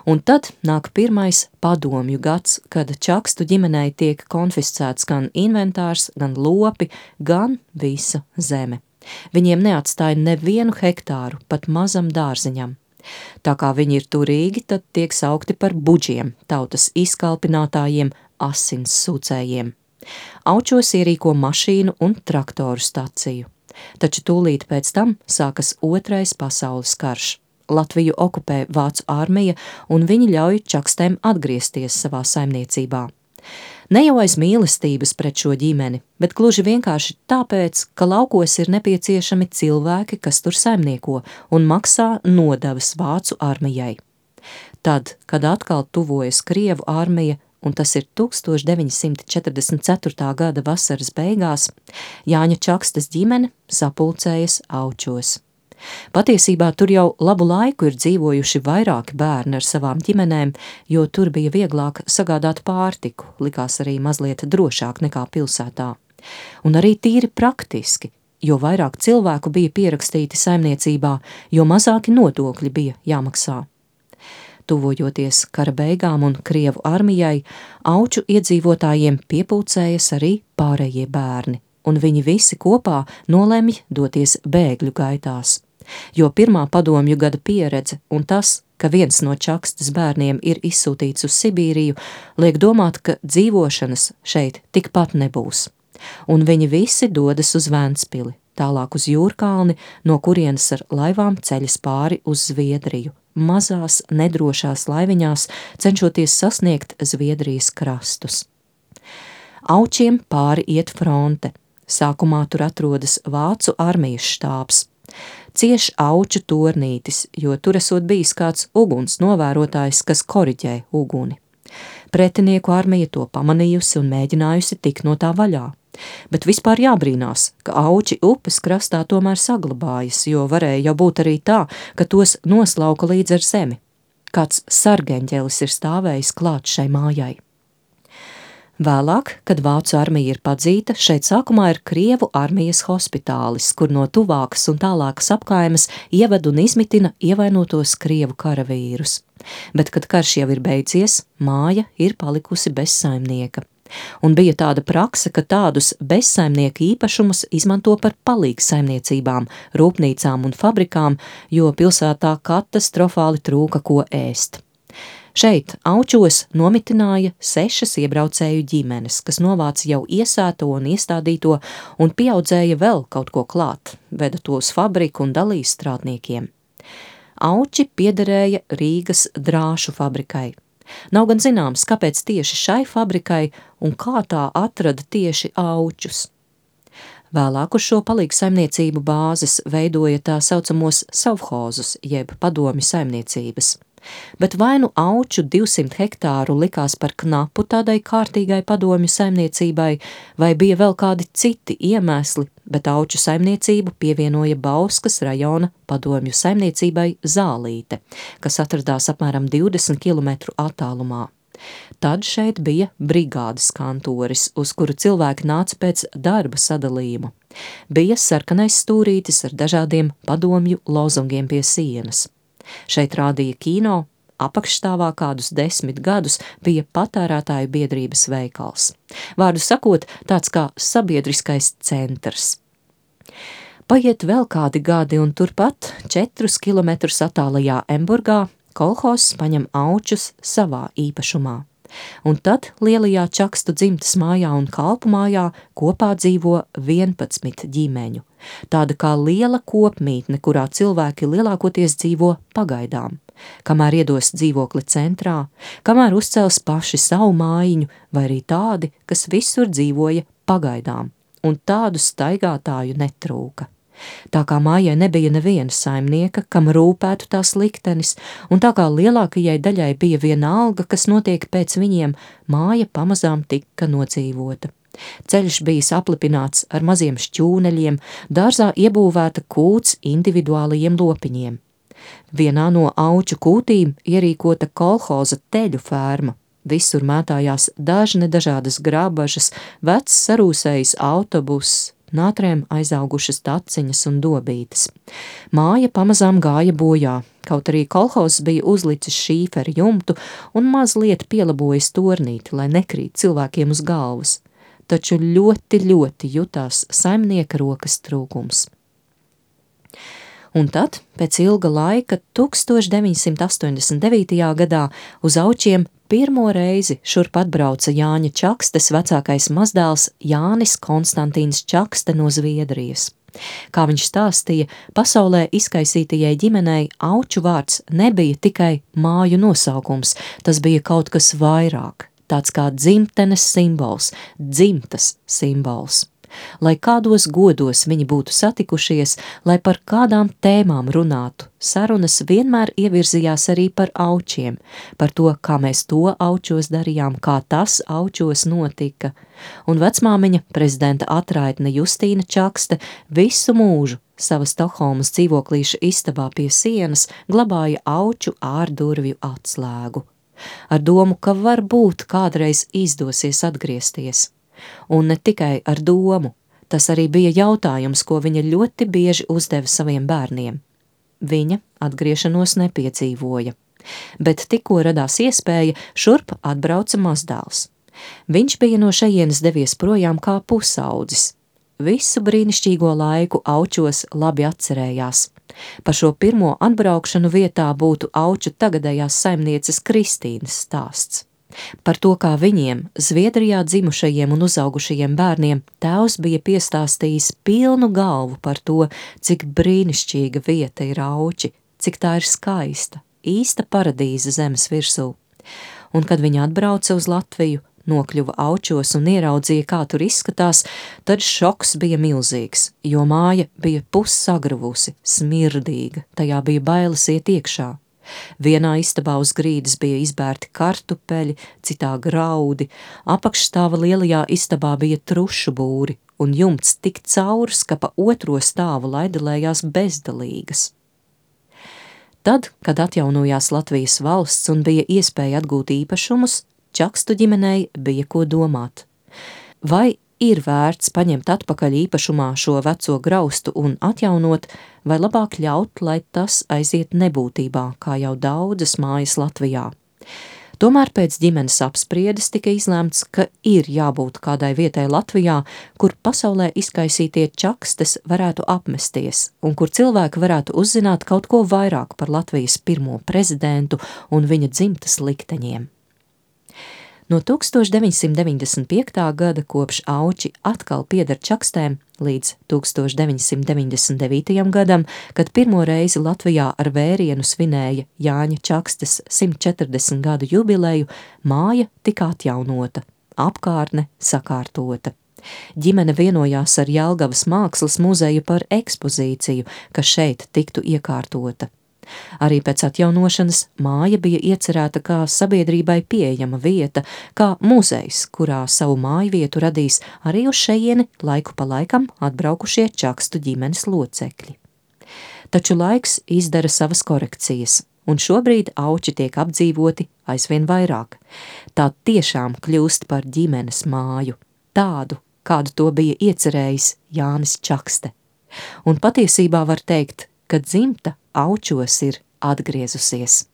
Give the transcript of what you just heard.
Un tad nāk pirmais padomju gads, kad Čakstu ģimenei tiek konfiscēts gan inventārs, gan lopi, gan visa zeme. Viņiem neatstāja nevienu hektāru, pat mazam dārziņam. Tā kā viņi ir turīgi, tad tiek saukti par buģiem, tautas izkalpinātājiem, asins sūcējiem. Aučos ierīko mašīnu un traktoru staciju. Taču tūlīt pēc tam sākas Otrais pasaules karš. Latviju okupē Vācu armija, un viņi ļauj čakstēm atgriezties savā saimniecībā. Ne jau aiz mīlestības pret šo ģimeni, bet gluži vienkārši tāpēc, ka laukos ir nepieciešami cilvēki, kas tur saimnieko un maksā nodevas Vācu armijai. Tad, kad atkal tuvojas Krievu armija, un tas ir 1944. gada vasaras beigās, Jāņa Čakstas ģimene sapulcējas Aučos. Patiesībā tur jau labu laiku ir dzīvojuši vairāki bērni ar savām ģimenēm, jo tur bija vieglāk sagādāt pārtiku, likās arī mazliet drošāk nekā pilsētā. Un arī tīri praktiski, jo vairāk cilvēku bija pierakstīti saimniecībā, jo mazāki nodokļi bija jāmaksā. Tuvojoties kara beigām un Krievu armijai, Auču iedzīvotājiem piepulcējas arī pārējie bērni, un viņi visi kopā nolemj doties bēgļu gaitās. Jo pirmā padomju gada pieredze un tas, ka viens no Čakstas bērniem ir izsūtīts uz Sibīriju, liek domāt, ka dzīvošanas šeit tikpat nebūs. Un viņi visi dodas uz Ventspili, tālāk uz Jūrkalni, no kurienes ar laivām ceļas pāri uz Zviedriju, mazās, nedrošās laiviņās, cenšoties sasniegt Zviedrijas krastus. Aučiem pāri iet fronte. Sākumā tur atrodas Vācu armijas štābs. Cieš Auču tornītis, jo tur esot bijis kāds uguns novērotājs, kas koriģē uguni. Pretinieku armija to pamanījusi un mēģinājusi tikt no tā vaļā. Bet vispār jābrīnās, ka Auči upes krastā tomēr saglabājas, jo varēja jau būt arī tā, ka tos noslauka līdz ar zemi. Kāds sargeņģelis ir stāvējis klāt šai mājai. Vēlāk, kad Vācu armija ir padzīta, šeit sākumā ir Krievu armijas hospitālis, kur no tuvākas un tālākas apkaimes ieved un izmitina ievainotos Krievu karavīrus. Bet, kad karš jau ir beidzies, māja ir palikusi bez saimnieka. Un bija tāda prakse, ka tādus bezsaimnieku īpašumus izmanto par palīgsaimniecībām, rūpnīcām un fabrikām, jo pilsētā katastrofāli trūka ko ēst. Šeit Aučos nomitināja 6 iebraucēju ģimenes, kas novāca jau iesēto un iestādīto un pieaudzēja vēl kaut ko klāt, veda to uz fabriku un dalīja strādniekiem. Auči piederēja Rīgas drāšu fabrikai. Nav gan zināms, kāpēc tieši šai fabrikai un kā tā atrada tieši Aučus. Vēlāk uz šo palīgsaimniecību bāzes veidoja tā saucamos savhozus, jeb padomju saimniecības. Bet vai nu Auču 200 hektāru likās par knapu tādai kārtīgai padomju saimniecībai, vai bija vēl kādi citi iemesli, bet Auču saimniecību pievienoja Bauskas rajona padomju saimniecībai Zālīte, kas atradās apmēram 20 km attālumā. Tad šeit bija brigādes kantoris, uz kuru cilvēki nāca pēc darba sadalījuma. Bija sarkanais stūrītis ar dažādiem padomju lozungiem pie sienas. Šeit rādīja kino, apakšstāvā kādus 10 gadus bija patērētāju biedrības veikals. Vārdu sakot, tāds kā sabiedriskais centrs. Paiet vēl kādi gadi un turpat 4 kilometrus attālajā Emburgā kolhozs paņem Aučus savā īpašumā. Un tad lielajā Čakstu dzimtes mājā un kalpu mājā kopā dzīvo 11 ģimeņu. Tāda kā liela kopmītne, kurā cilvēki lielākoties dzīvo pagaidām, kamēr iedos dzīvokli centrā, kamēr uzcels paši savu mājiņu, vai arī tādi, kas visur dzīvoja pagaidām, un tādu staigātāju netrūka. Tā kā mājai nebija neviena saimnieka, kam rūpētu tās liktenis, un tā kā lielākajai daļai bija vienalga, kas notiek pēc viņiem, māja pamazām tika nodzīvota. Ceļš bijis aplipināts ar maziem šķūneļiem, dārzā iebūvēta kūts individuālajiem lopiņiem. Vienā no Auču kūtīm ierīkota kolhoza teļu ferma. Visur mētājās dažne dažādas grabažas, vecs sarūsējis autobuss, un ātrēm aizaugušas taciņas un dobītes. Māja pamazām gāja bojā, kaut arī kolhozs bija uzlicis šīferi jumtu un mazliet pielabojis tornīti, lai nekrīt cilvēkiem uz galvas, taču ļoti jutās saimnieka rokas trūkums. Un tad, pēc ilga laika, 1989. gadā uz Aučiem pirmo reizi šurp atbrauca Jāņa Čakstes vecākais mazdēls Jānis Konstantīns Čakste no Zviedrijas. Kā viņš stāstīja, pasaulē izkaisītajai ģimenei Auču vārds nebija tikai māju nosaukums, tas bija kaut kas vairāk, tāds kā dzimtenes simbols, dzimtas simbols. Lai kādos godos viņi būtu satikušies, lai par kādām tēmām runātu, sarunas vienmēr ievirzījās arī par Aučiem, par to, kā mēs to Aučos darījām, kā tas Aučos notika, un vecmāmiņa prezidenta atraitne Justīna Čakste visu mūžu sava Stokholmas dzīvoklīša istabā pie sienas glabāja Auču ārdurvju atslēgu, ar domu, ka varbūt kādreiz izdosies atgriezties. Un ne tikai ar domu, tas arī bija jautājums, ko viņa ļoti bieži uzdeva saviem bērniem. Viņa atgriešanos nepiedzīvoja, bet tikko radās iespēja, šurp atbrauca mazdēls. Viņš bija no šejienes devies projām kā pusaudzis. Visu brīnišķīgo laiku Aučos labi atcerējās. Par šo pirmo atbraukšanu vietā būtu Auču tagadējās saimnieces Kristīnas stāsts. Par to, kā viņiem, Zviedrijā dzimušajiem un uzaugušajiem bērniem, tēvs bija piestāstījis pilnu galvu par to, cik brīnišķīga vieta ir Auči, cik tā ir skaista, īsta paradīze zemes virsū. Un kad viņa atbrauca uz Latviju, nokļuva Aučos un ieraudzīja, kā tur izskatās, tad šoks bija milzīgs, jo māja bija pussagruvusi, smirdīga, tajā bija bailes iet iekšā. Vienā istabā uz grīdas bija izbērti kartupeļi, citā graudi, apakšstāva lielajā istabā bija trušu būri, un jumts tik caurs, ka pa otro stāvu laidelējās bezdalīgas. Tad, kad atjaunojās Latvijas valsts un bija iespēja atgūt īpašumus, Čakstu ģimenei bija ko domāt. Vai ir vērts paņemt atpakaļ īpašumā šo veco graustu un atjaunot, vai labāk ļaut, lai tas aiziet nebūtībā, kā jau daudzas mājas Latvijā. Tomēr pēc ģimenes apspriedes tika izlēmts, ka ir jābūt kādai vietai Latvijā, kur pasaulē izkaisītie Čakstes varētu apmesties un kur cilvēki varētu uzzināt kaut ko vairāk par Latvijas pirmo prezidentu un viņa dzimtas likteņiem. No 1995. gada kopš Auči atkal pieder Čakstēm līdz 1999. gadam, kad pirmo reizi Latvijā ar vērienu svinēja Jāņa Čakstes 140 gadu jubileju, māja tika atjaunota, apkārtne sakārtota. Ģimene vienojās ar Jelgavas mākslas muzeju par ekspozīciju, kas šeit tiktu iekārtota. Arī pēc atjaunošanas māja bija iecerēta kā sabiedrībai pieejama vieta, kā muzejs, kurā savu mājvietu radīs arī uz šejieni laiku pa laikam atbraukušie Čakstu ģimenes locekļi. Taču laiks izdara savas korekcijas, un šobrīd Auči tiek apdzīvoti aizvien vairāk. Tā tiešām kļūst par ģimenes māju, tādu, kādu to bija iecerējis Jānis Čakste. Un patiesībā var teikt, ka dzimta Aučos ir atgriezusies.